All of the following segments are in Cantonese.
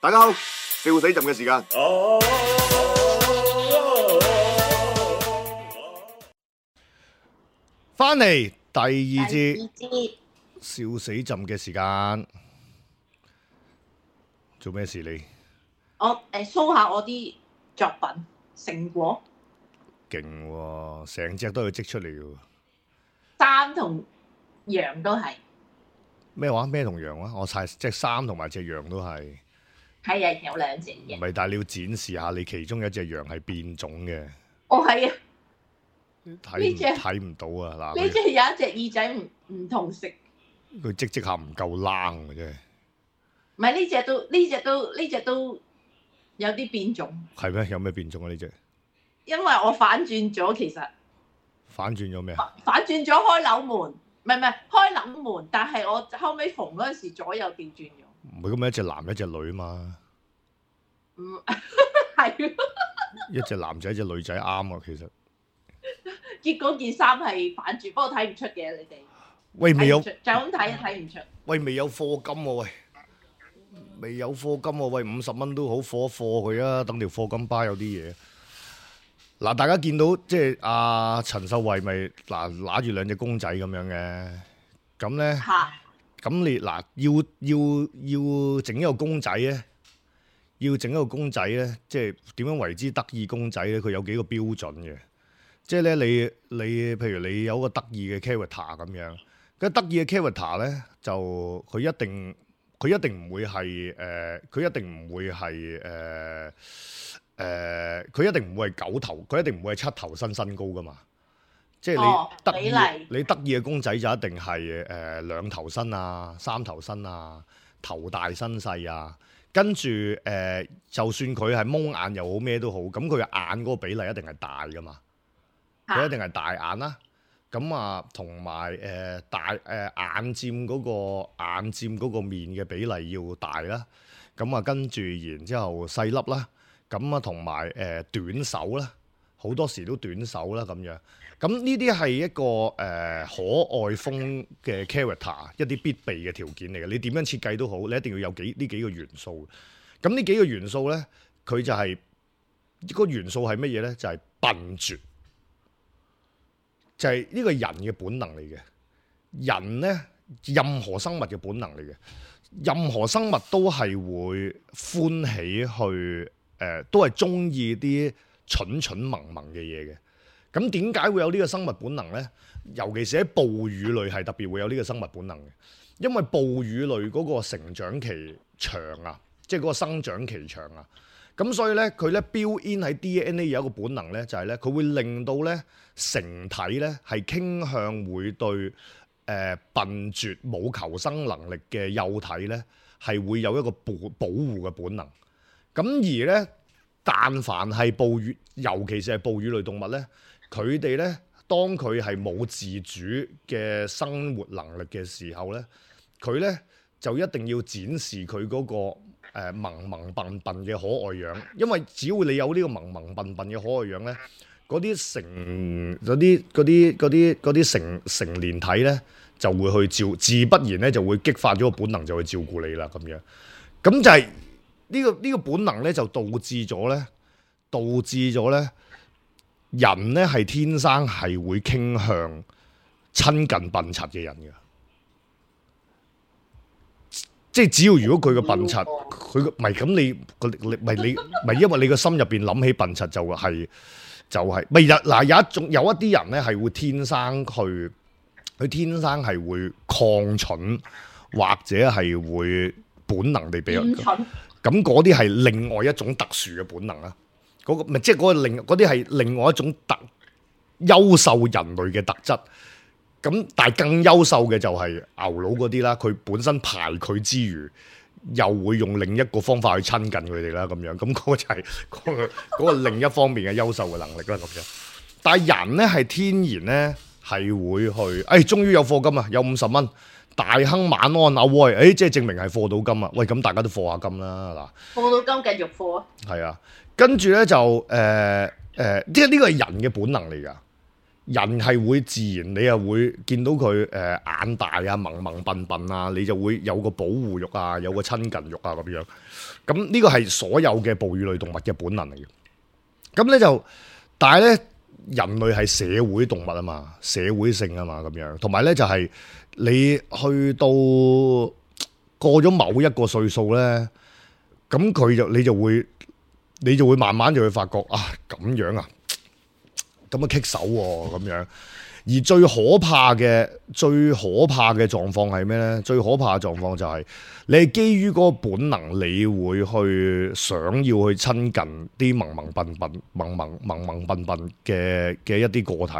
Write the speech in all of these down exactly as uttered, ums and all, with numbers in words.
大家好，笑死朕嘅時間。翻嚟第二節第二節笑死朕嘅時間，做咩事你？我誒 show 下我啲作品成果，勁喎，成隻都要織出嚟嘅喎。衫同羊都係，咩話？咩同羊啊？我晒隻衫同埋隻羊都係。係啊，有兩隻嘅。唔係，但係你要展示下你其中一隻羊係變種嘅。哦，係啊，睇唔呢隻睇唔到啊！嗱，呢隻有一隻耳仔唔唔同色，佢織織下唔夠冷嘅真係。唔係呢隻都呢隻都呢隻都有啲變種。係咩？有咩變種啊？呢隻因為我反轉咗，其實反轉咗咩啊？反轉咗開樓門，唔係唔係開樓門，但係我後尾縫嗰陣時左右調轉咗。唔係咁咪一隻男一隻女嘛？嗯，係。一隻男仔一隻女仔啱啊，其實。結果件衫係反轉，不過睇唔出嘅你哋。喂，未有睇唔出就咁睇睇唔出。喂，未有課金喎、喂，未有課金喎、喂，五十蚊都好課一課佢啊，等條課金巴有啲嘢。嗱，大家見到即係阿陳秀慧咪嗱揦住兩隻公仔咁樣嘅，咁咧，嚇！咁你嗱要要要整一個公仔咧，要整一個公仔咧，即係點樣為之得意公仔咧？佢有幾個標準嘅，即係咧你你譬如你有個得意嘅 character 咁樣。咁得意嘅 character 咧，就佢一定佢一定唔會係誒，佢、呃、一定唔會係誒誒，佢一定唔會係九頭，佢一定唔會係七頭身身高噶嘛。即係哦你得意，比例你得意嘅公仔就一定係誒、呃、兩頭身啊、三頭身啊、頭大身細啊。跟住誒、呃，就算佢係蒙眼又好咩都好，咁佢嘅眼嗰個比例一定係大噶嘛。佢一定係大眼啦。咁啊，同埋誒大誒、呃、眼佔嗰、個眼佔嗰個面嘅比例要大啦。咁啊，跟住然之後細粒啦。咁啊，同埋誒短手啦，好多時都短手啦咁樣。咁呢啲係一個誒、呃、可愛風嘅 character，一啲必備嘅條件嚟嘅。你點樣設計都好，你一定要有幾呢幾個元素。咁呢幾個元素咧，佢就係、是、個元素係乜嘢咧？就係、是、笨拙。就係呢個人嘅本能嚟嘅，人咧任何生物嘅本能嚟嘅，任何生物都係會歡喜去誒、呃，都係中意啲蠢蠢萌萌嘅嘢嘅。咁點解會有呢個生物本能咧？尤其是喺哺乳類係特別會有呢個生物本能嘅，因為哺乳類嗰個成長期長啊，即係嗰個生長期長啊。咁所以咧，佢咧 build in 喺 D N A 有一個本能咧，就係咧，佢會令到咧成體咧係傾向會對誒、呃、笨拙冇求生能力嘅幼體咧係會有一個保保護嘅本能。咁而咧，但凡係哺乳，尤其是係哺乳類動物咧，佢哋咧當佢係冇自主嘅生活能力嘅時候咧，佢咧就一定要展示佢嗰、個。誒萌萌笨笨嘅可愛樣，因為只要你有呢個萌萌笨笨嘅可愛樣咧，嗰啲成嗰啲嗰啲嗰啲嗰啲成成年體咧就會去照，自不然咧就會激發咗個本能就去照顧你啦咁樣。咁就係呢個呢個本能咧就導致咗咧，導致咗咧人咧係天生係會傾向親近笨柒嘅人嘅。即係只要如果佢個笨柒，佢個唔係咁你個你唔係你唔係因為你個心入邊諗起笨柒就係就係咪有嗱有一種有一啲人咧係會天生去佢天生係會抗蠢或者係會本能地比較咁，嗰啲係另外一種特殊嘅本能啦。嗰個唔係即係嗰個另嗰啲係另外一種特優秀人類嘅特質。咁但係更優秀嘅就係牛佬嗰啲啦，佢本身排佢之餘，又會用另一個方法去親近佢哋啦，咁樣，咁嗰個就係嗰個嗰個另一方面嘅優秀嘅能力啦，咁樣。但係人咧係天然咧係會去，誒，終於有課金啊，有五十蚊，大亨晚安啊喂，誒，即係證明係課到金啊，喂，咁大家都課下金啦，嗱，課到金繼續課啊，係啊，跟住咧就誒誒，即係呢個係人嘅本能嚟㗎。人係會自然，你又會見到佢誒、呃、眼大啊、萌萌笨笨啊，你就會有個保護欲啊，有個親近欲啊咁樣。咁呢個係所有嘅哺乳類動物嘅本能嚟嘅。咁咧就，但係咧人類係社會動物啊嘛，社會性啊嘛咁樣。同埋咧就係、是、你去到過咗某一個歲數咧，咁佢就你就會你就會慢慢就會發覺啊咁樣啊。咁啊棘手喎咁樣，而最可怕嘅最可怕嘅狀況係咩咧？最可怕嘅狀況就係、是、你係基於嗰個本能，你會去想要去親近啲萌萌笨笨、萌萌萌萌笨笨嘅嘅一啲個體，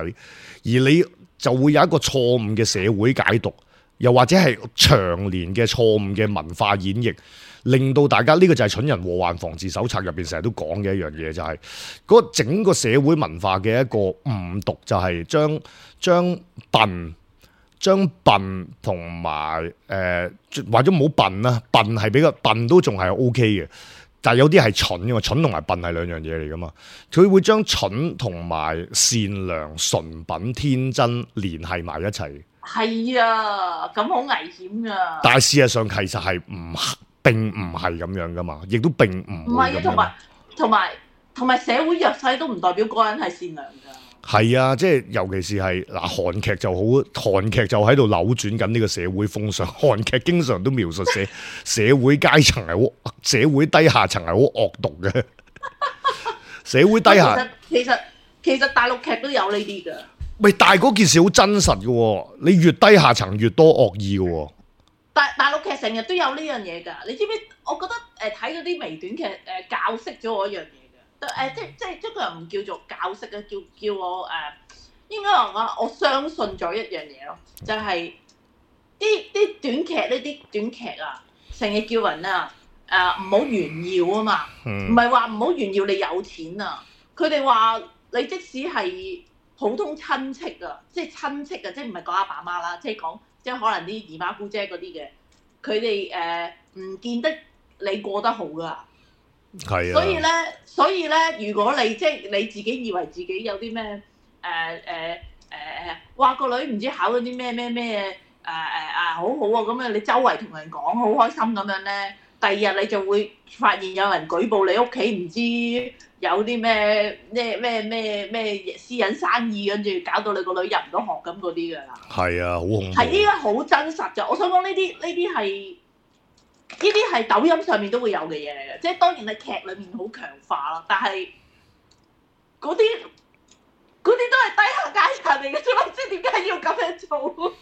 而你就會有一個錯誤嘅社會解讀，又或者係長年嘅錯誤嘅文化演繹。令到大家呢、這個就係蠢人禍患防治手冊入邊成日都講嘅一樣嘢，就係、是、嗰整個社會文化嘅一個誤讀，就係將將笨、將笨同埋誒或者唔好笨啦，笨係比較笨都仲係 O K 嘅，但係有啲係蠢嘅嘛，蠢同埋笨係兩樣嘢嚟噶嘛，佢會將蠢同埋善良、純品、天真聯繫埋一齊。係啊，咁好危險噶。但係事實上其實係唔並唔係咁樣噶嘛，亦都並唔唔係嘅，同埋同埋同埋社會弱勢都唔代表嗰個人係善良㗎。係啊，即係尤其是係嗱，韓劇就好，韓劇就喺度扭轉緊呢個社會風尚。韓劇經常都描述社社會階層係好，社會低下層係好惡毒嘅。社會低下其實其實其實大陸劇都有呢啲㗎。喂，但係嗰件事好真實嘅喎，你越低下層越多惡意嘅喎。大大陸劇成日都有呢樣嘢㗎，你知唔知？我覺得誒睇嗰啲微短劇誒、呃、教識咗我一樣嘢㗎，誒、呃、即即即個人唔叫做教識嘅，叫叫我誒、呃、應該話我我相信咗一樣嘢咯，就係啲啲短劇呢啲短劇啊，成日叫人啊誒唔好炫耀啊嘛，唔係話唔好炫耀你有錢啊，佢哋話你即使係普通親戚啊，即係親戚啊，即係唔係講阿爸媽啦，即係講。即係可能啲姨媽姑姐嗰啲嘅，佢哋誒唔見得你過得好噶。係啊。所以咧，所以咧，如果你即係你自己以為自己有啲咩誒誒誒誒，哇個女唔知考咗啲咩咩咩誒誒啊好好啊咁樣，你周圍同人講好開心咁樣咧，第二日你就會發現有人舉報你屋企唔知有啲咩咩咩咩咩私隱生意，跟住搞到你個女入唔到學咁嗰啲㗎啦。係啊，好恐怖。係依家好真實㗎，我想講呢啲呢啲係呢啲係抖音上面都會有嘅嘢嚟嘅，即係當然係劇裡面好強化咯，但係嗰啲嗰啲都係低下階層嚟嘅啫嘛，即係點解要咁樣做？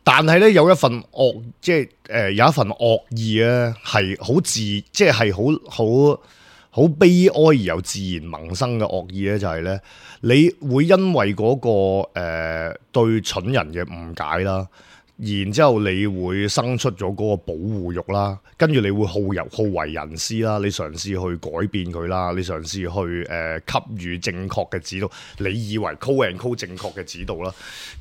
但係咧有一份惡，即係誒、呃、有一份惡意咧，係好自，即係係好好好悲哀而又自然萌生嘅惡意咧，就係、是、咧，你會因為嗰、那個誒、呃、對蠢人嘅誤解啦，然之後你會生出咗嗰個保護欲啦，跟住你會好人好為人師啦，你嘗試去改變佢啦，你嘗試去誒、呃、給予正確嘅指導，你以為 call and call 正確嘅指導啦，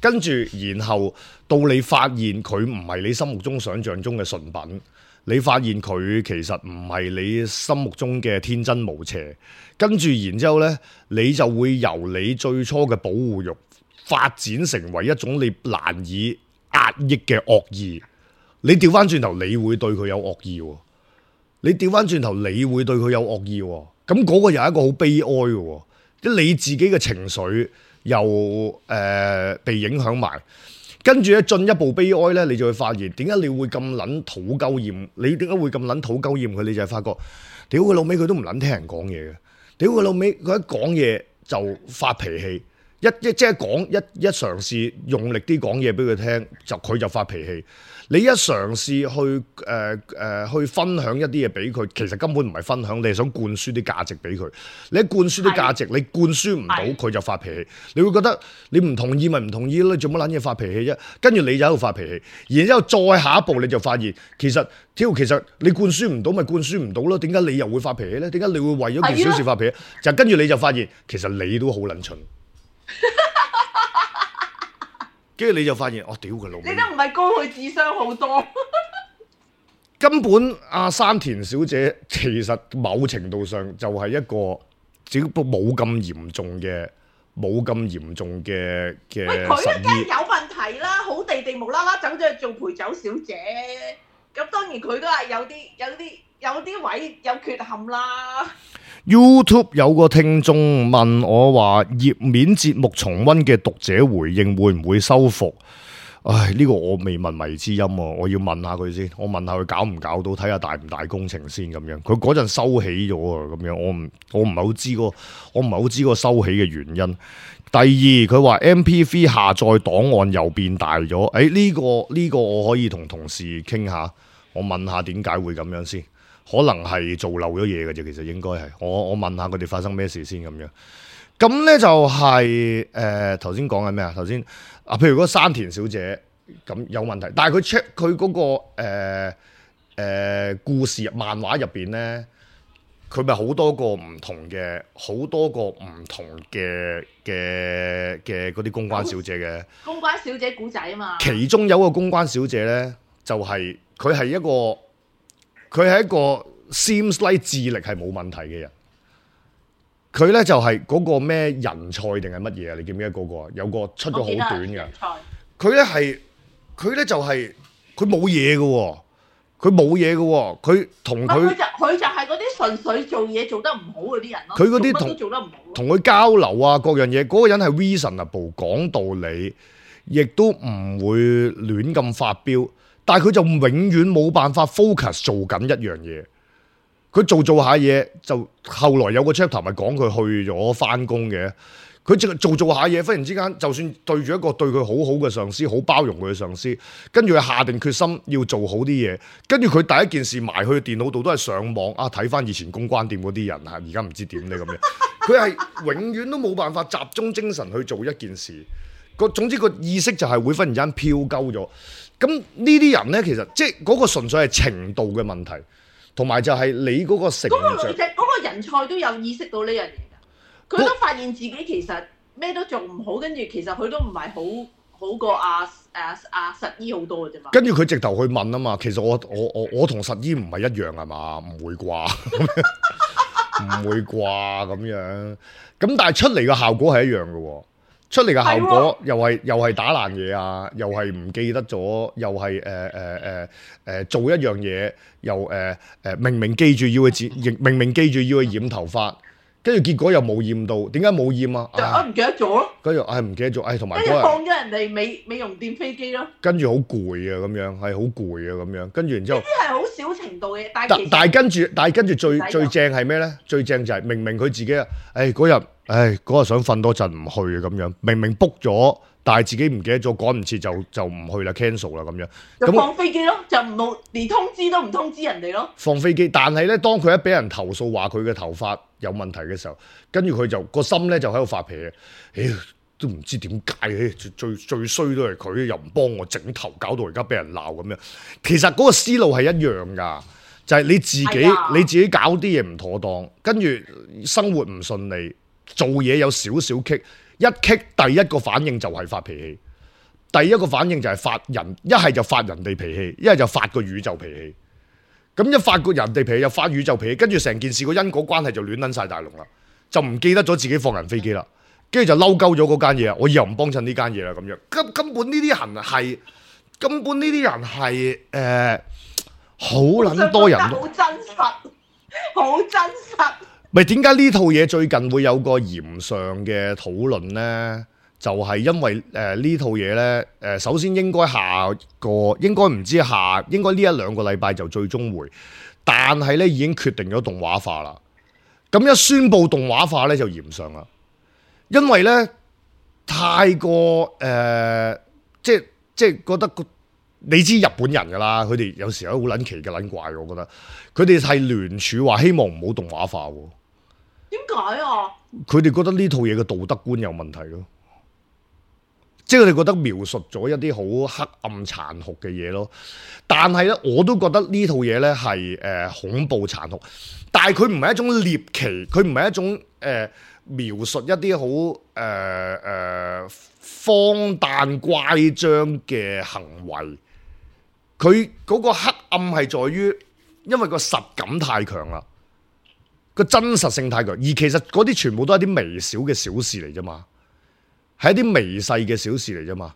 跟住然後到你發現佢唔係你心目中想象中嘅純品，你發現佢其實唔係你心目中嘅天真無邪，跟住然之後呢，你就會由你最初嘅保護欲發展成為一種你難以壓抑嘅惡意。你調翻轉頭，你會對佢有惡意喎。你調翻轉頭，你會對佢有惡意喎。咁嗰個又係一個好悲哀嘅喎，即係你自己嘅情緒又誒、呃、被影響埋。跟住咧進一步悲哀咧，你就會發現點解你會咁撚土鳩厭？你點解會咁撚土鳩厭佢？你就係發覺，屌佢老味，佢都唔撚聽人講嘢嘅。屌佢老味，佢一講嘢就發脾氣，一一即係講一一嘗試用力啲講嘢俾佢聽，就佢就發脾氣。你一嘗試去誒誒、呃呃、去分享一啲嘢俾佢，其實根本唔係分享，你係想灌輸啲價值俾佢。你一灌輸啲價值，你灌輸唔到，佢就發脾氣。你會覺得你唔同意咪唔同意咯，你做乜撚嘢發脾氣啫？跟住你就喺度發脾氣，然之後再下一步你就發現，其實屌其實你灌輸唔到咪灌輸唔到咯？點解你又會發脾氣咧？點解你會為咗件小事發脾氣？就跟住你就發現，其實你都好撚蠢。跟住你就發現，我屌佢老味！你都唔係高佢智商好多。根本阿山田小姐其實某程度上就係一個只不過冇咁嚴重嘅冇咁嚴重嘅嘅喂，佢實醫。一梗係有問題啦，好地地無啦啦走咗去做陪酒小姐，咁當然佢都係有啲有啲有啲位有缺陷啦。YouTube 有個聽眾問我話，頁面節目重溫嘅讀者回應會唔會修復？唉，呢、這個我未問迷之音喎，我要問下佢先。我問下佢搞唔搞到，睇下大唔大工程先咁樣。佢嗰陣收起咗啊，咁樣我唔我唔係好知個，我唔係好知個收起嘅原因。第二，佢話 M P three 下載檔案又變大咗。誒、哎、呢、這個呢、這個我可以同同事傾下，我問下點解會咁樣先。可能係做漏咗嘢嘅啫，其實應該係。我我問下佢哋發生咩事先咁樣。咁咧就係誒頭先講緊咩啊？頭先啊，譬如嗰個山田小姐咁有問題，但係佢 check 佢嗰個誒、呃呃、故事漫畫入邊咧，佢咪好多個唔同嘅，好多個唔同嘅嘅嘅嗰啲公關小姐嘅。公關小姐古仔啊嘛。其中有一個公關小姐咧，就係佢係一個佢係一個 seems like 智力係冇問題嘅人。佢咧就係嗰個咩人才定係乜嘢啊？你記唔記得嗰個啊？有個出咗好短嘅。佢咧係佢咧就係佢冇嘢嘅喎，佢冇嘢嘅喎，佢同佢佢就佢就係嗰啲純粹做嘢做得唔好嗰啲人咯。佢嗰啲同做乜都做得唔好。同佢交流啊，各樣嘢，嗰、嗰個人係 reasonable 講道理，亦都唔會亂咁發飆，但係佢就永遠冇辦法 focus 做緊一樣嘢。佢做做下嘢，就後來有個 chapter 咪講佢去咗翻工嘅。佢淨係做做下嘢，忽然之間就算對住一個對佢好好嘅上司，好包容佢嘅上司，跟住佢下定決心要做好啲嘢，跟住佢第一件事埋去電腦度都係上網啊，睇翻以前公關店嗰啲人啊，而家唔知點咧咁樣。佢係永遠都冇辦法集中精神去做一件事。個總之個意識就係會忽然間飄鳩咗。咁呢啲人咧，其實即係嗰個純粹係程度嘅問題。同埋就係你嗰個成長，嗰個女仔嗰個人才都有意識到呢樣嘢㗎，佢都發現自己其實咩都做唔好，跟住其實佢都唔係好好過阿誒阿實醫好多嘅啫嘛。跟住佢直頭去問啊嘛，其實我我我我同實醫唔係一樣係嘛？唔會啩？唔會啩咁樣？咁但係出嚟嘅效果係一樣嘅喎。出嚟嘅效果又係又係打爛嘢啊，又係唔記得咗，又係誒誒誒誒做一樣嘢，又誒誒、呃、明明記住要去剪，明明記住要去染頭髮，跟住結果又冇染到，點解冇染啊？我唔記得咗咯。跟住唉唔記得咗，唉同埋跟住放咗人哋美美容店飛機咯。跟住好攰啊咁樣，係好攰啊咁樣，跟住然之後。呢啲係好少程度嘅，但係但係跟住，但係跟住最最正係咩咧？最正就係明明佢自己啊，唉嗰日。唉，嗰日想瞓多陣唔去啊，咁樣明明 book 咗，但係自己唔記得咗，趕唔切就就唔去啦 ，cancel 啦咁樣。就放飛機咯，就唔冇連通知都唔通知人哋咯。放飛機，但係咧，當佢一俾人投訴話佢嘅頭髮有問題嘅時候，跟住佢就個心咧就喺度發脾氣。唉，都唔知點解嘅，最最最衰都係佢，又唔幫我整頭，搞到而家俾人鬧咁樣。其實嗰個思路係一樣㗎，就係、是、你自己、哎、你自己搞啲嘢唔妥當，跟住生活唔順利。做嘢有少少棘，一棘第一個反應就係發脾氣，第一個反應就係發人，一係就發人哋脾氣，一係就發個宇宙脾氣。咁一發個人哋脾氣，又發宇宙脾氣，跟住成件事個因果關係就亂撚晒大龍啦，就唔記得咗自己放人飛機啦，跟住就嬲鳩咗嗰間嘢啊！我以後唔幫襯呢間嘢啦咁樣。根根本呢啲人係，根本呢啲人係誒，好、呃、撚多人都好真實，好真實。咪點解呢套嘢最近會有個嚴上嘅討論呢？就係、是、因為誒、呃、呢套嘢呢，誒、呃、首先應該下個應該唔知下應該呢一兩個禮拜就最終回，但係呢已經決定咗動畫化啦。咁一宣布動畫化呢，就嚴上啦，因為呢太過誒、呃、即係即係覺得你知日本人噶啦，佢哋有時候好撚奇嘅撚怪，我覺得佢哋係聯署話希望唔好動畫化喎。點解啊？佢哋覺得呢套嘢嘅道德觀有問題咯，即係佢哋覺得描述咗一啲好黑暗殘酷嘅嘢咯。但係咧，我都覺得呢套嘢咧係誒恐怖殘酷，但係佢唔係一種獵奇，佢唔係一種誒、呃、描述一啲好誒誒荒誕乖張嘅行為。佢嗰個黑暗係在於，因為個實感太強啦。個真實性太強，而其實嗰啲全部都係啲微小嘅小事嚟啫嘛。係一啲微細嘅小事嚟啫嘛。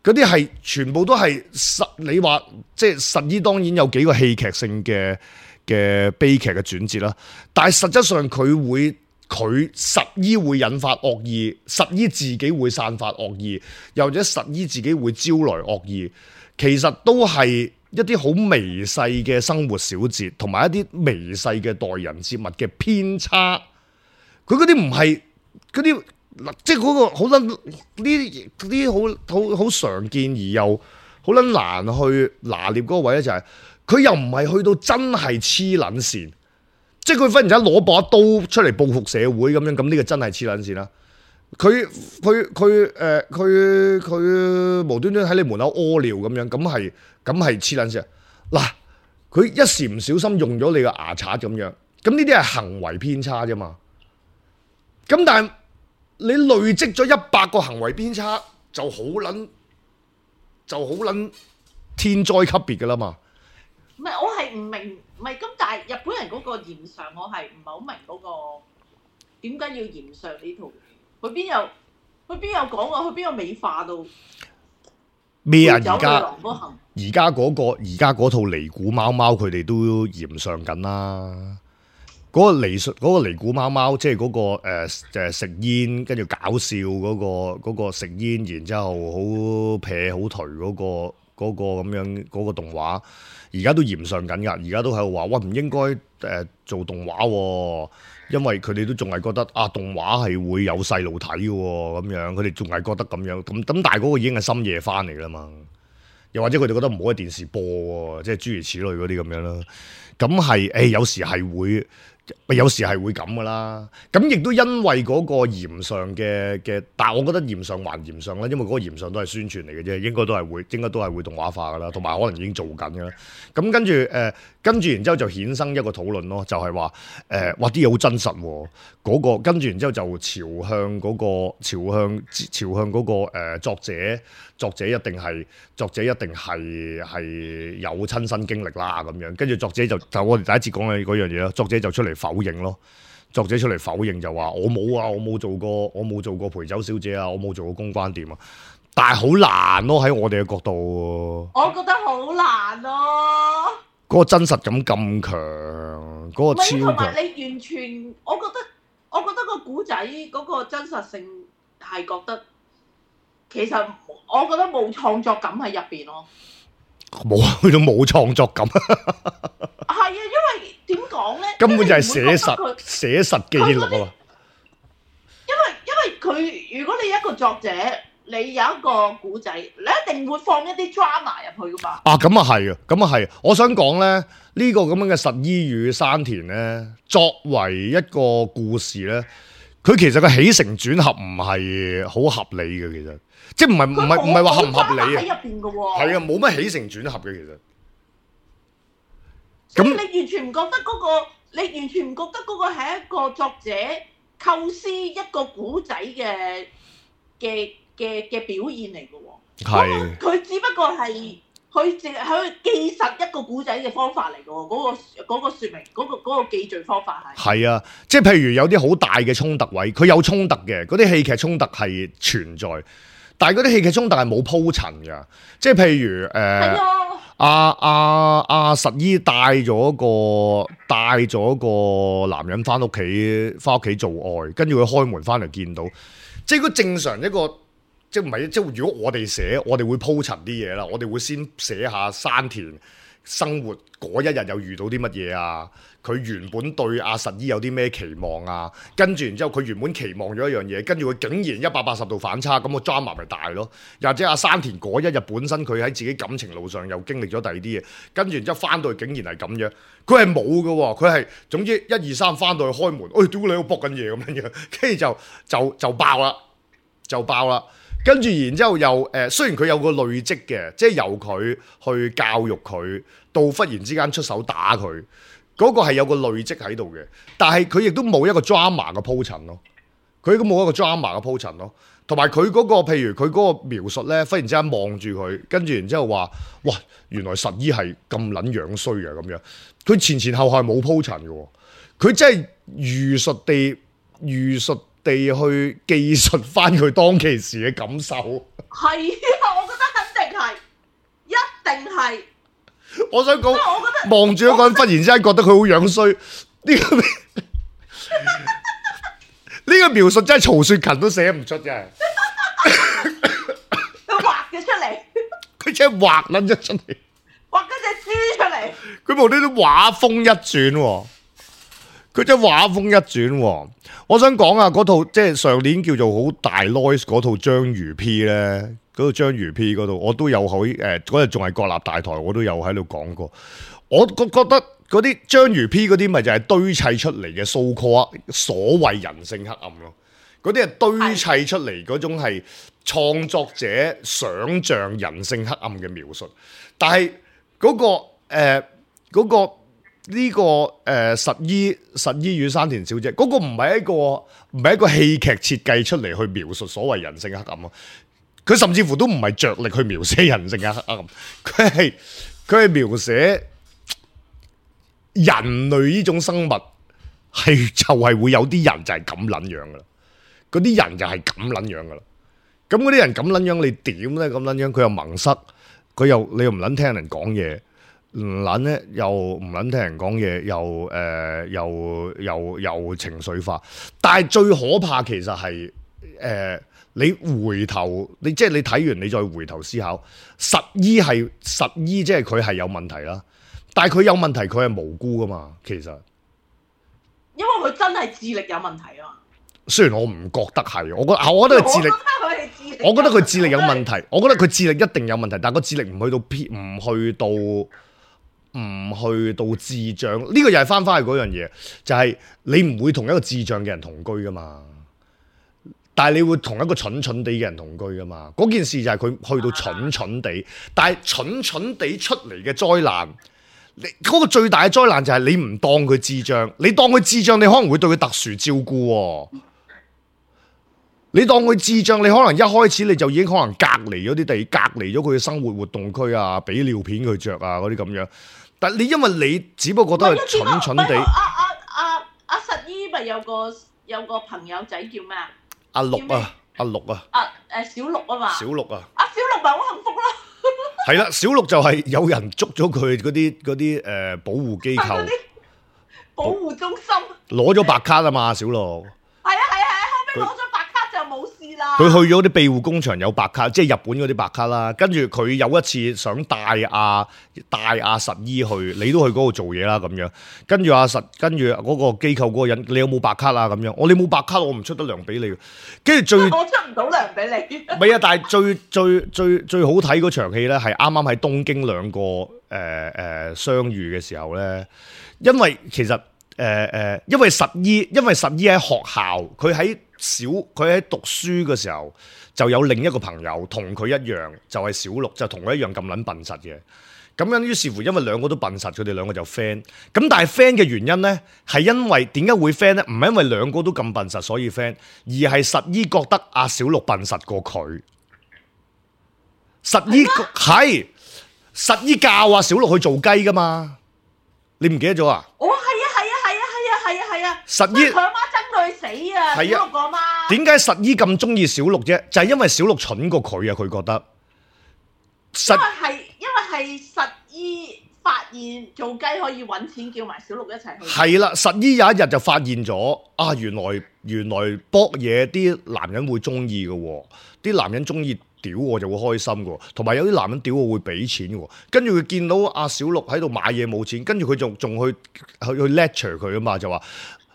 嗰啲係全部都係實，你話即係實依當然有幾個戲劇性嘅嘅悲劇嘅轉折啦，但係實質上佢會佢實依會引發惡意，實依自己會散發惡意，又或者實依自己會招來惡意，其實都係一啲好微細嘅生活小節，同埋一啲微細嘅待人接物嘅偏差。佢嗰啲唔係嗰啲。即係嗰個好撚呢啲啲好好好常見而又好撚難去拿捏嗰個位咧，就係佢又唔係去到真係黐撚線，即係佢忽然間攞把刀出嚟報復社會咁樣，咁呢個真係黐撚線啦。佢佢佢誒佢佢無端端喺你門口屙尿咁樣，咁係咁係黐撚線。嗱，佢一時唔小心用咗你個牙刷咁樣，咁呢啲係行為偏差啫嘛。咁但係你累積咗一百個行為偏差，就好撚就好撚天災級別㗎啦嘛。唔係，我係唔明，唔係咁，但係日本人嗰個嚴上，我係唔係好明嗰個點解要嚴上呢套？佢邊有佢邊有講啊？佢邊有美化到咩啊？而家而家嗰個而家嗰套尼古貓貓，佢哋都嚴上緊啦。嗰個尼嗰、嗰個尼古貓貓，即係嗰、嗰個誒、呃、食煙，跟住搞笑嗰、嗰個嗰個食煙，然之後好撇好頹嗰個嗰、嗰個咁樣嗰、嗰個動畫，而家都嚴上緊㗎。而家都喺度話，喂，唔應該誒、呃、做動畫喎，因為佢哋都仲係覺得啊動畫係會有細路睇嘅喎，咁樣佢哋仲係覺得咁樣咁咁，但係嗰個已經係深夜翻嚟啦嘛。又或者佢哋覺得唔好喺電視播喎，即係諸如此類嗰啲咁樣啦。咁係誒有時係會。有時係會咁噶啦，咁亦都因為嗰個嚴上嘅嘅，但係我覺得嚴上還嚴上啦，因為嗰個嚴上都係宣傳嚟嘅啫，應該都係會，應該都係會動畫化噶啦，同埋可能已經做緊噶啦。咁跟住誒，跟住然之後就衍生一個討論咯，就係話誒，哇啲嘢好真實喎，嗰個跟住然之後就朝向嗰個朝向朝向嗰個誒作者，作者一定係作者一定係係有親身經歷啦咁樣，跟住作者就就我哋第一節講嘅嗰樣嘢咯，作者就出嚟否認咯，作者出嚟否認就話我冇啊，我冇做過，我冇做過陪酒小姐啊，我冇做過公關店啊，但係好難咯喺我哋嘅角度，我覺得好難咯，嗰個真實感咁強，嗰個超強，同埋你完全，我覺得我覺得個古仔嗰個真實性係覺得，其實我覺得冇創作感喺入邊咯。冇去到冇創作感，係啊，因為點講咧？根本就係寫實寫實記錄啊！因為因為佢，如果你一個作者，你有一個古仔，你一定會放一啲 drama 入去噶嘛。啊，咁啊係啊，咁啊係。我想講咧，呢、呢個咁樣嘅實依與山田咧，作為一個故事咧，佢其實個起承轉合唔係好合理嘅，其實。即係唔係唔係唔係話合唔合理啊？喺入邊嘅喎，係啊，冇乜起承轉合嘅其實。咁你完全唔覺得嗰個，你完全唔覺得嗰個係一個作者構思一個古仔嘅嘅嘅嘅表現嚟嘅喎。係。佢只不過係佢淨係佢記實一個古仔嘅方法嚟嘅喎，嗰個嗰個説明嗰個嗰個記敘方法係。係啊，即係譬如有啲好大嘅衝突位，佢有衝突嘅，嗰啲戲劇衝突係存在。但係嗰啲戲劇衝突係冇鋪陳㗎，即係譬如誒，阿阿阿實依帶咗個帶咗個男人翻屋企，翻屋企做愛，跟住佢開門翻嚟見到，即係如果正常一個，即係唔係即係如果我哋寫，我哋會鋪陳啲嘢啦，我哋會先寫下山田生活嗰一日又遇到啲乜嘢啊？佢原本對阿實依有啲咩期望啊？跟住然之後佢原本期望咗一樣嘢，跟住佢竟然一百八十度反差，咁個 drama 咪大咯？又或者阿山田嗰一日本身佢喺自己感情路上又經歷咗第二啲嘢，跟住然之後翻到去竟然係咁樣，佢係冇嘅喎，佢係總之一二三翻到去開門，哎屌你喺度搏緊嘢咁樣樣，跟住就就就爆啦，就爆啦。跟住然之後又誒、呃，雖然佢有個累積嘅，即係由佢去教育佢，到忽然之間出手打佢，嗰、那個係有個累積喺度嘅。但係佢亦都冇一個 drama 嘅鋪陳咯，佢都冇一個 drama 嘅鋪陳咯。同埋佢嗰個譬如佢嗰個描述咧，忽然之間望住佢，跟住然之後話：哇，原來實依係咁撚樣衰嘅咁樣。佢前前後後係冇鋪陳嘅喎，佢真係如實地如實。地去記述翻佢當其時嘅感受。係啊，我覺得肯定係，一定係。我想講，我覺得望住一個人，忽然之間覺得佢好樣衰，呢、這個呢個描述真係曹雪芹都寫唔出，真係。佢畫咗出嚟，佢真係畫撚咗出嚟，畫咗隻豬出嚟。佢無端端畫風一轉喎，佢真係畫風一轉喎。我想講啊，嗰套即係上年叫做好大 noise 嗰套章魚 P 咧，嗰套章魚 P 嗰度我都有喺誒嗰日仲係國立大台，我都有喺度講過。我覺覺得嗰啲章魚 P 嗰啲咪就係堆砌出嚟嘅 so called 所謂人性黑暗咯。嗰啲係堆砌出嚟嗰種係創作者想像人性黑暗嘅描述，但係嗰、嗰個誒嗰、呃嗰個呢、這個誒、呃、實衣實衣與山田小姐嗰、嗰個唔係一個唔係一個戲劇設計出嚟去描述所謂人性黑暗咯，佢甚至乎都唔係着力去描寫人性嘅黑暗，佢係佢係描寫人類呢種生物係就係會有啲人就係咁撚樣噶啦。嗰啲人就係咁撚樣噶啦，咁嗰啲人咁撚樣，你點咧？咁撚樣佢又矇塞，佢又你又唔撚聽人講嘢，唔撚咧又唔撚聽人講嘢，又誒、呃、又又又情緒化。但係最可怕其實係誒、呃、你回頭，你即係你睇完你再回頭思考，實依係實依，即係佢係有問題啦。但係佢有問題，佢係無辜噶嘛，其實。因為佢真係智力有問題啊嘛。雖然我唔覺得係，我覺得我覺得佢智力，我覺得佢智力有問題，我覺得佢智力一定有問題，但係個智力唔去到 P， 唔去到唔去到智障，呢、這個又係翻翻去嗰樣嘢，就係、是、你唔會同一個智障嘅人同居噶嘛，但係你會同一個蠢蠢地嘅人同居噶嘛，嗰件事就係佢去到蠢蠢地，但係蠢蠢地出嚟嘅災難。你嗰個最大嘅災難就係你唔當佢智障，你當佢智障，你可能會對佢特殊照顧喎。你當佢智障，你可能一開始你就已經可能隔離咗啲地，隔離咗佢嘅生活活動區啊，俾尿片佢着啊嗰啲咁樣。但係你因為你只不過覺得佢蠢蠢地。阿阿阿阿實依咪有個有個朋友仔叫咩啊？阿六啊，阿六啊。阿誒小六啊嘛。小六啊。阿小六咪好幸福咯。係啦，小六就係有人捉咗佢嗰啲嗰啲誒保護機構。保護中心。攞咗白卡啊嘛，小六。係啊係啊係啊，後尾攞咗白卡就冇事啦。佢去咗啲庇護工場有白卡，即係日本嗰啲白卡啦。跟住佢有一次想帶阿帶阿實依去，你都去嗰度做嘢啦咁樣。跟住阿實，跟住嗰個機構嗰個人，你有冇白卡啊？咁樣，我你冇白卡，我唔出得糧俾你。跟住最，我出唔到糧俾你。唔係啊，但係最最最最好睇嗰場戲咧，係啱啱喺東京兩個誒誒、呃呃、相遇嘅時候咧，因為其實。誒誒、呃，因為實依，因為實依喺學校，佢喺小，佢喺讀書嘅時候就有另一個朋友同佢一樣，就係、是、小六，就同佢一樣咁撚笨實嘅。咁樣於是乎，因為兩個都笨實，佢哋兩個就 friend。咁但係 friend 嘅原因咧，係因為點解會 friend 咧？唔係因為兩個都咁笨實所以 friend，而係實依覺得阿小六笨實過佢。實依係實依教阿小六去做雞噶嘛？你唔記得咗啊？哦，係啊，係啊，係啊，係啊，係啊，係啊！實依佢阿媽憎到佢死啊！小六個阿媽點解實依咁中意小六啫？就係、是、因為小六蠢過佢啊！佢覺得實因為係因為係實依發現做雞可以揾錢，叫埋小六一齊去。係啦，實依有一日就發現咗啊！原來原來搏嘢啲男人會中意嘅喎，啲男人中意。屌我就會開心嘅，同埋有啲男人屌我會俾錢嘅，跟住佢見到阿小六喺度買嘢冇錢，跟住佢仲仲去去去 lecture 佢啊嘛，就話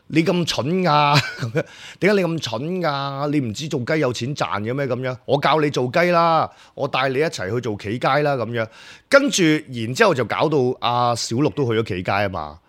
你咁蠢啊，咁樣點解你咁蠢啊？你唔知做雞有錢賺嘅咩？咁樣我教你做雞啦，我帶你一齊去做企街啦，咁樣跟住然之後就搞到阿小六都去咗企街啊嘛。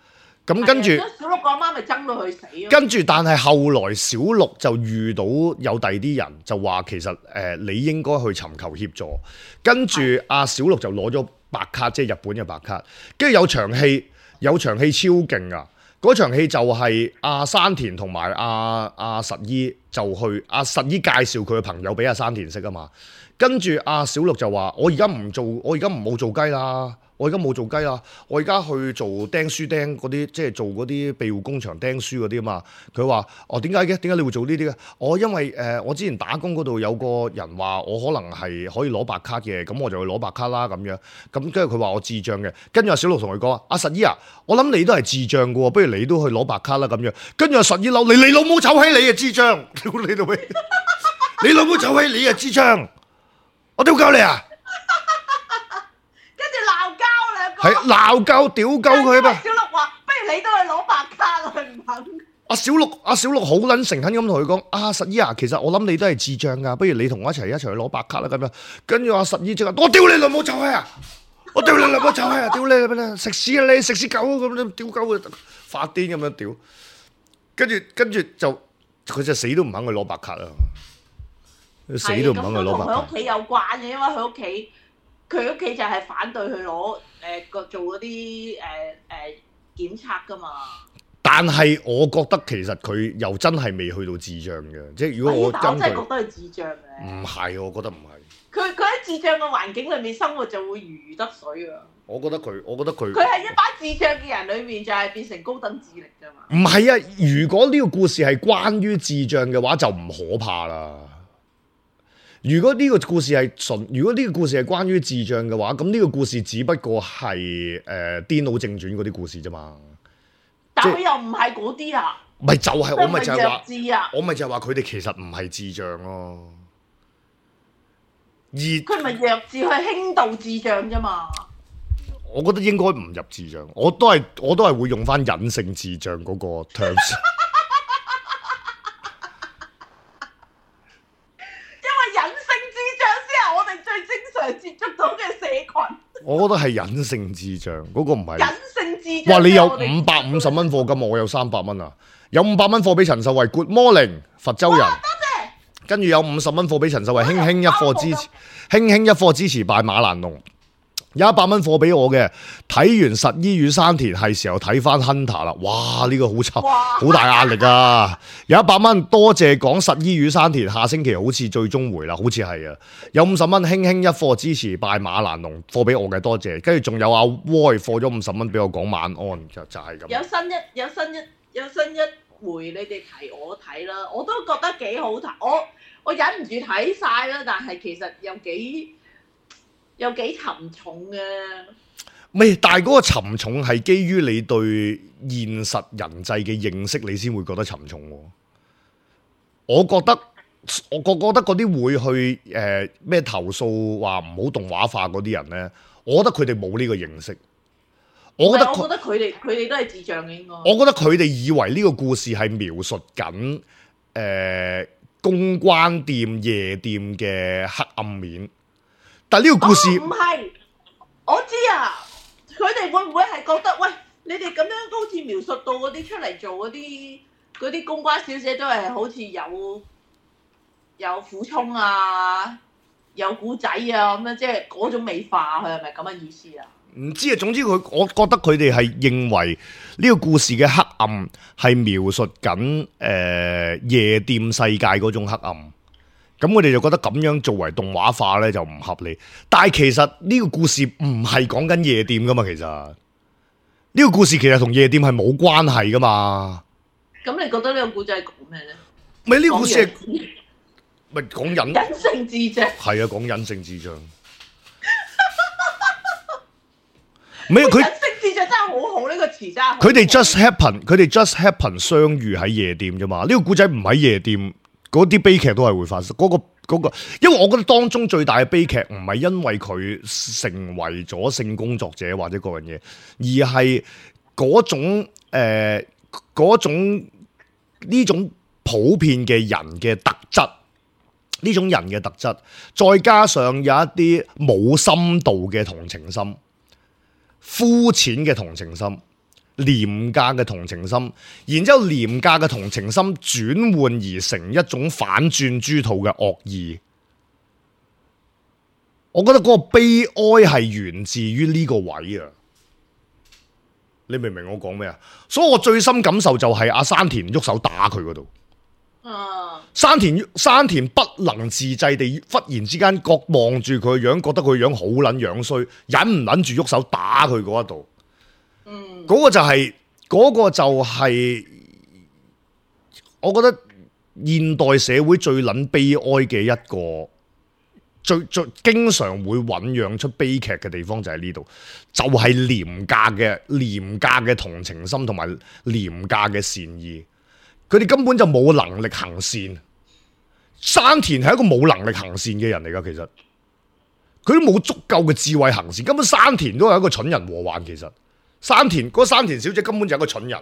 咁跟住，小六個阿媽咪憎到佢死咯。跟住，但係後來小六就遇到有第二啲人，就話其實誒、呃、你應該去尋求協助。跟住阿小六就攞咗白卡，即係日本嘅白卡。跟住有場戲，有場戲超勁啊！嗰場戲就係阿山田同埋阿阿實依就去，阿、啊、實依介紹佢嘅朋友俾阿山田識啊嘛。跟住阿小六就話：我而家唔做，我而家唔好做雞啦。我而家冇做雞啦，我而家去做釘書釘嗰啲，即係做嗰啲庇護工場釘書嗰啲啊嘛。佢話：哦，點解嘅？點解你會做呢啲嘅？我因為誒、呃，我之前打工嗰度有個人話我可能係可以攞白卡嘅，咁我就去攞白卡啦咁樣。咁跟住佢話我智障嘅，跟住阿小六同佢講：阿實姨啊，我諗你都係智障嘅喎，不如你都去攞白卡啦咁樣。跟住阿實姨嬲你，你老母臭閪你啊智障！屌你老味，你老母臭閪你啊智障！我屌鳩你啊！係鬧交屌鳩佢嘛？小六話：不如你都去攞白卡啦，佢唔肯。阿小六阿小六好撚誠懇咁同佢講：阿實姨啊，其實我諗你都係智障噶，不如你同我一齊一齊去攞白卡啦咁樣。跟住阿實姨即刻：我屌你老母臭閪啊！我屌你老母臭閪啊！屌你咩？食屎啊你！食屎狗咁樣屌鳩佢，發癲咁樣屌。跟住跟住就佢就死都唔肯去攞白卡啊！死都唔肯去攞白卡。同佢屋企有關嘅，因為佢屋企佢屋企就係反對佢攞。誒個、呃、做嗰啲誒誒檢測㗎嘛，但係我覺得其實佢又真係未去到智障嘅，即係如果我根據，我真係覺得係智障嘅。唔係，我覺得唔係。佢佢喺智障嘅環境裏面生活就會如魚得水啊！我覺得佢，我覺得佢，佢係一班智障嘅人裏面就係變成高等智力㗎嘛。唔係啊！如果呢個故事係關於智障嘅話，就唔可怕啦。如果呢個故事係純，如果呢個故事係關於智障嘅話，咁呢個故事只不過係誒《癲佬正傳》嗰啲故事啫嘛。但佢又唔係嗰啲啊。咪就係、是、我咪就係話，啊、我咪就係話佢哋其實唔係智障咯。而佢咪弱智去輕度智障啫嘛。我覺得應該唔入智障，我都係我都係會用翻隱性智障嗰個 terms。接觸到嘅社群，我覺得係隱性智障，嗰、那個唔係隱性智障。哇！你有五百五十蚊課金，我有三百蚊啊！有五百蚊貨俾陳秀慧 ，Good morning，佛州人。多謝。跟住有五十蚊貨俾陳秀慧，輕輕一課支持，輕輕一課支持拜馬蘭龍。有一百蚊貨俾我嘅，睇完實依與山田係時候睇翻 Hunter 啦，哇！呢、這個好臭，好大壓力啊！有一百蚊，多謝講實依與山田，下星期好似最終回啦，好似係啊！有五十蚊，輕輕一課支持拜馬蘭龍，貨俾我嘅，多謝。跟住仲有阿 Roy 貨咗五十蚊俾我講晚安，就就係、是、咁。有新一有新一有新一回，你哋提我睇啦，我都覺得幾好睇，我我忍唔住睇晒啦，但係其實又幾。有幾沉重嘅，未？但係嗰個沉重係基於你對現實人際嘅認識，你先會覺得沉重。我覺得，我覺覺得嗰啲會去誒咩、呃、投訴話唔好動畫化嗰啲人咧，我覺得佢哋冇呢個認識。我覺得，我覺得佢哋佢哋都係智障嘅應該。我覺得佢哋以為呢個故事係描述緊誒、呃、公關店夜店嘅黑暗面。但係呢個故事唔係、哦，我知啊。佢哋會唔會係覺得，喂，你哋咁樣好似描述到嗰啲出嚟做嗰啲嗰啲公關小姐都係好似有有苦衷啊，有古仔啊咁樣，即係嗰種美化，佢係咪咁嘅意思啊？唔知啊，總之佢，我覺得佢哋係認為呢個故事嘅黑暗係描述緊誒、呃、夜店世界嗰種黑暗。咁我哋就覺得咁樣作為動畫化咧就唔合理，但係其實呢個故事唔係講緊夜店噶嘛，其實呢個故事其實同夜店係冇關係噶嘛。咁你覺得呢個故仔係講咩咧？咪呢個故事係咪講隱隱性智障？係啊，講隱性智障。唔係佢隱性智障真係好好，呢個詞真係。佢哋 just happen， 佢哋 just happen 相遇喺夜店啫嘛。呢個故仔唔喺夜店。嗰啲悲劇都係會發生，嗰、嗰個、嗰個，因為我覺得當中最大嘅悲劇唔係因為佢成為咗性工作者或者嗰樣嘢，而係嗰種誒嗰、呃、種呢種普遍嘅人嘅特質，呢種人嘅特質，再加上有一啲冇深度嘅同情心、膚淺嘅同情心。廉價嘅同情心，然之後廉價嘅同情心轉換而成一種反轉豬肚嘅惡意，我覺得嗰個悲哀係源自於呢個位啊！你明唔明我講咩啊？所以我最深感受就係阿山田喐手打佢嗰度。嗯，山田山田不能自制地忽然之間覺望住佢樣，覺得佢樣好撚樣衰，忍唔撚住喐手打佢嗰一度。嗯，嗰個就係、嗰、個就係、我覺得現代社會最撚悲哀嘅一個，最最經常會醖釀出悲劇嘅地方就喺呢度，就係、是、廉價嘅廉價嘅同情心同埋廉價嘅善意。佢哋根本就冇能力行善。山田係一個冇能力行善嘅人嚟㗎，其實佢都冇足夠嘅智慧行善。根本山田都係一個蠢人禍患。其實山田嗰山田小姐根本就係一個蠢人，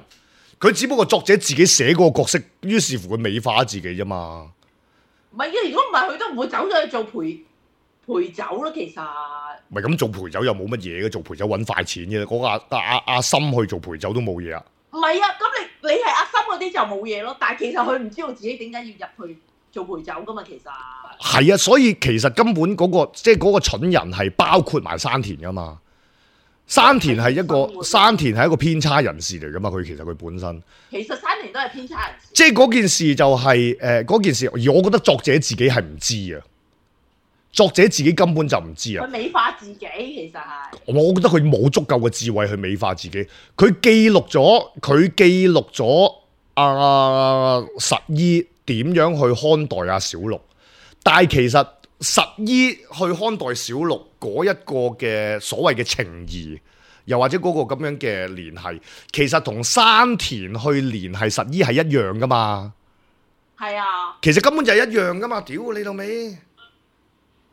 佢只不過作者自己寫嗰個角色，於是乎佢美化自己啫嘛。唔係嘅，如果唔係佢都唔會走咗去做陪陪酒咯。其實唔係咁做陪酒又冇乜嘢嘅，做陪酒揾快錢嘅。嗰、那個阿阿阿阿森去做陪酒都冇嘢啊。唔係啊，咁你你係阿森嗰啲就冇嘢咯。但係其實佢唔知道自己點解要入去做陪酒噶嘛。其實係啊，所以其實根本嗰、那個即係嗰個蠢人係包括埋山田噶嘛。山田係一個山田係一個偏差人士嚟噶嘛。佢其實佢本身其實山田都係偏差人士。即係嗰件事就係誒嗰件事，而我覺得作者自己係唔知啊。作者自己根本就唔知啊！佢美化自己其實係，我覺得佢冇足夠嘅智慧去美化自己。佢記錄咗，佢記錄咗阿實依點樣去看待阿小綠，但係其實實依去看待小綠嗰一個嘅所謂嘅情誼，又或者嗰個咁樣嘅聯繫，其實同山田去聯繫實依係一樣噶嘛。係啊，其實根本就係一樣噶嘛。屌你老味！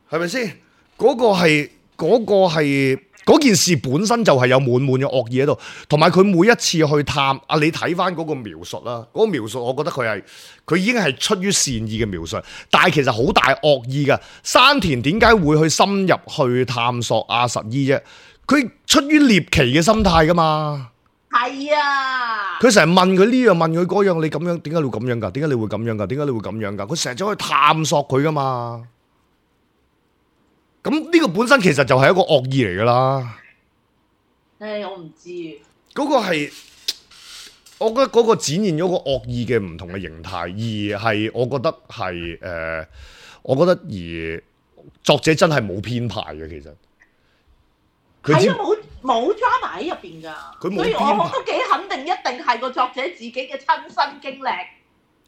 係咪先？嗰、那個係嗰、那個係嗰件事本身就係有滿滿嘅惡意喺度，同埋佢每一次去探啊，你睇翻嗰個描述啦，嗰、那個描述我覺得佢係佢已經係出於善意嘅描述，但係其實好大惡意㗎。山田點解會去深入去探索阿實依啫？佢出於獵奇嘅心態噶嘛。係啊，佢成日問佢呢樣問佢嗰樣，你咁樣點解你會咁樣㗎？點解你會咁樣㗎？點解你會咁樣㗎？佢成日走去探索佢噶嘛。咁呢個本身其實就係一個惡意嚟噶啦。誒，我唔知。嗰個係，我覺得嗰個展現咗個惡意嘅唔同嘅形態，而係我覺得係誒、呃，我覺得而作者真係冇編排嘅，其實。係啊，冇冇 drama 喺入邊㗎，佢冇所以我都幾肯定，一定係個作者自己嘅親身經歷。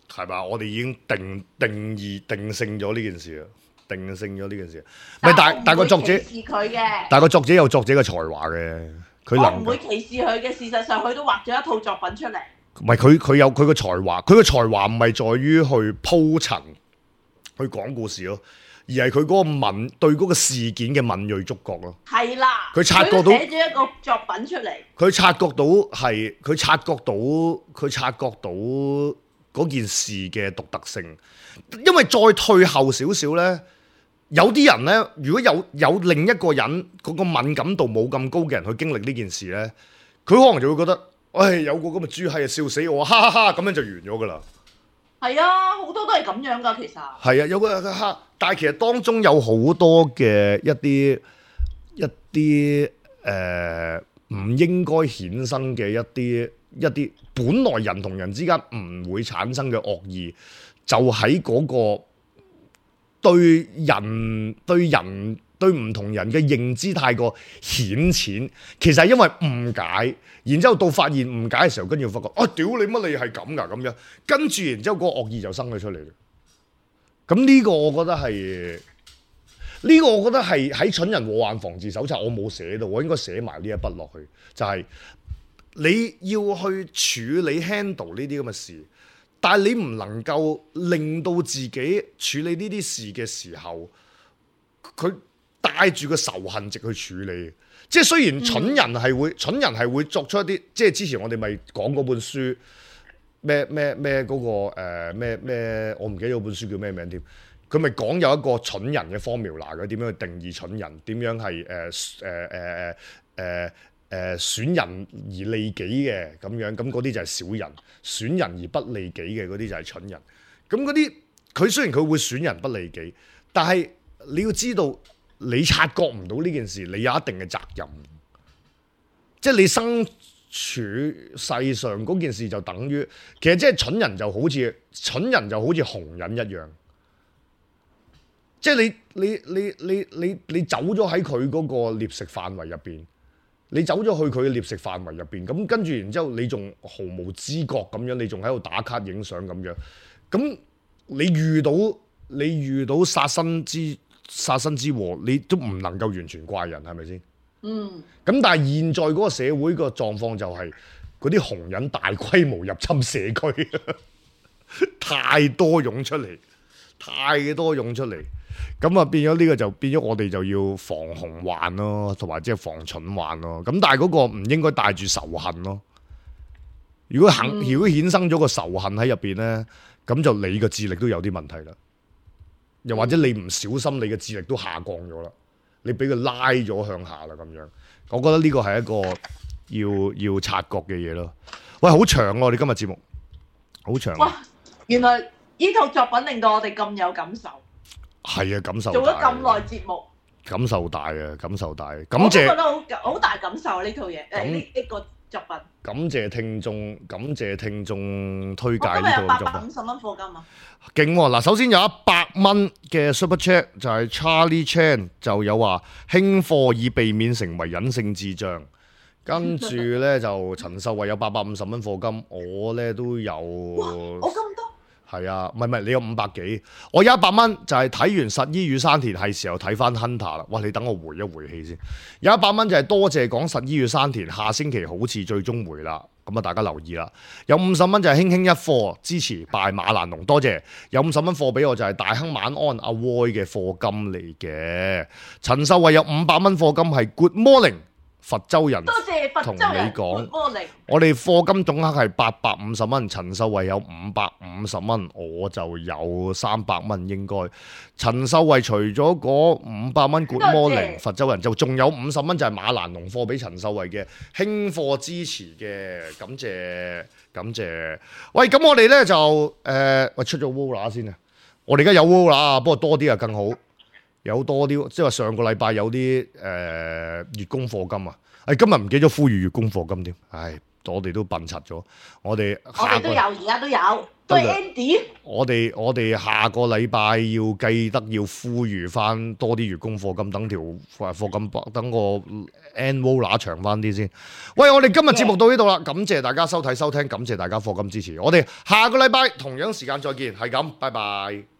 係嘛？我哋已經定定義定性咗呢件事啦。定性咗呢件事，唔係但但個作者，佢嘅，但個作者有作者嘅才華嘅，佢能我唔會歧視佢嘅。事實上，佢都畫咗一套作品出嚟。唔係佢佢有佢個才華，佢個才華唔係在於去鋪陳、去講故事咯，而係佢嗰個敏對嗰個事件嘅敏鋭觸覺咯。係啦，佢察覺到寫咗一個作品出嚟，佢察覺到係佢察覺到佢察覺到嗰件事嘅獨特性，因為再退後少少咧。有啲人咧，如果有有另一個人嗰個敏感度冇咁高嘅人去經歷呢件事咧，佢可能就會覺得，唉、哎，有個咁嘅豬閪啊，笑死我，哈哈哈，咁樣就完咗噶啦。係啊，好多都係咁樣噶，其實係啊，有個哈，但係其實當中有好多嘅一啲一啲誒唔應該衍生嘅一啲一啲本來人同人之間唔會產生嘅惡意，就喺嗰、嗰個。對人對人對唔同人嘅認知太過顯淺，其實係因為誤解，然之後到發現誤解嘅時候，跟住發覺，啊屌你乜你係咁噶咁樣，跟住然之後嗰個惡意就生咗出嚟。咁呢個我覺得係呢、這個我覺得係喺蠢人禍患防治手冊我冇寫到，我應該寫埋呢一筆落去，就係、是、你要去處理 handle 呢啲咁嘅事。但係你唔能夠令到自己處理呢啲事嘅時候，佢帶住個仇恨值去處理。即係雖然蠢人係會，嗯、蠢人係會作出一啲，即係之前我哋咪講嗰本書咩咩咩嗰個誒咩咩，我唔記得嗰本書叫咩名添。佢咪講有一個蠢人嘅 formula 嘅，點樣去定義蠢人？點樣係誒誒誒誒誒誒損人而利己嘅咁樣？咁嗰啲就係小人。損人而不利己嘅嗰啲就係蠢人，咁嗰啲佢雖然佢會損人不利己，但係你要知道，你察覺唔到呢件事，你有一定嘅責任，即係你生世上嗰件事就等於，其實即係蠢人就好似蠢人就好似紅人一樣，即係你你你你你你走咗喺佢嗰個獵食範圍入邊，你走咗去佢嘅獵食範圍入邊，咁跟住然之後你仲毫無知覺咁樣，你仲喺度打卡影相咁樣，咁你遇到你遇到殺身之殺身之禍，你都唔能夠完全怪人，係咪先？嗯。咁但係現在嗰個社會個狀況就係嗰啲紅人大規模入侵社區，太多湧出嚟，太多湧出嚟，咁啊變咗呢個就變咗我哋就要防紅患咯，同埋即係防蠢患咯。咁但係嗰個唔應該帶住仇恨咯。如果肯、嗯、如果衍生咗個仇恨喺入邊咧，咁就你嘅智力都有啲問題啦。又或者你唔小心，你嘅智力都下降咗啦。你俾佢拉咗向下啦，咁樣，我覺得呢個係一個要要察覺嘅嘢咯。喂，好長喎、啊！我哋今日節目好長、啊。哇！原來呢套作品令到我哋咁有感受。係啊，感受大。做咗咁耐節目。感受大啊！感受大。感謝。我都覺得好好大感受呢套嘢。誒呢呢個作品。感謝聽眾，感謝聽眾推介呢套作品。我今日有八百五十蚊課金啊！勁喎！嗱，首先有一百蚊嘅 Super Chat 就係 Charlie Chan 就有話輕貨以避免成為隱性智障，跟住咧就陳秀慧有八百五十蚊課金，我咧都有。我咁多？係啊，唔係唔係，你有五百幾，我有一百蚊就係睇完實衣與山田係時候睇翻 Hunter 啦。哇，你等我回一回氣先。有一百蚊就係多謝講實衣與山田，下星期好似最終回啦。咁啊，大家留意啦。有五十蚊就係輕輕一課支持拜馬蘭龍，多謝。有五十蚊課俾我就係大亨晚安阿 Roy 嘅課金嚟嘅。陳秀慧有五百蚊課金係 Good Morning 佛州人，多謝佛州人。同你講，我哋課金總額係八百五十蚊，陳秀慧有五百五十蚊，我就有三百蚊應該。陳秀慧除咗嗰五百蚊 Good Morning 佛州人，就仲有五十蚊就係馬蘭龍課俾陳秀慧嘅輕課支持嘅，感謝感謝。喂，咁我哋咧就誒，喂、呃、出咗 Wola 先啊！我哋而家有 Wola，不過多啲啊更好。有多啲，即係話上個禮拜有啲誒、呃、月供課金啊！誒、哎、今日唔記得呼籲月供課金添，唉，我哋都笨柒咗。我哋我哋都有，而家都有，都係 Andy。我哋我哋下個禮拜要記得要呼籲翻多啲月供課金，等條課金等個 annual 長翻啲先。喂，我哋今日節目到呢度啦，感謝大家收睇收聽，感謝大家課金支持。我哋下個禮拜同樣時間再見，係咁，拜拜。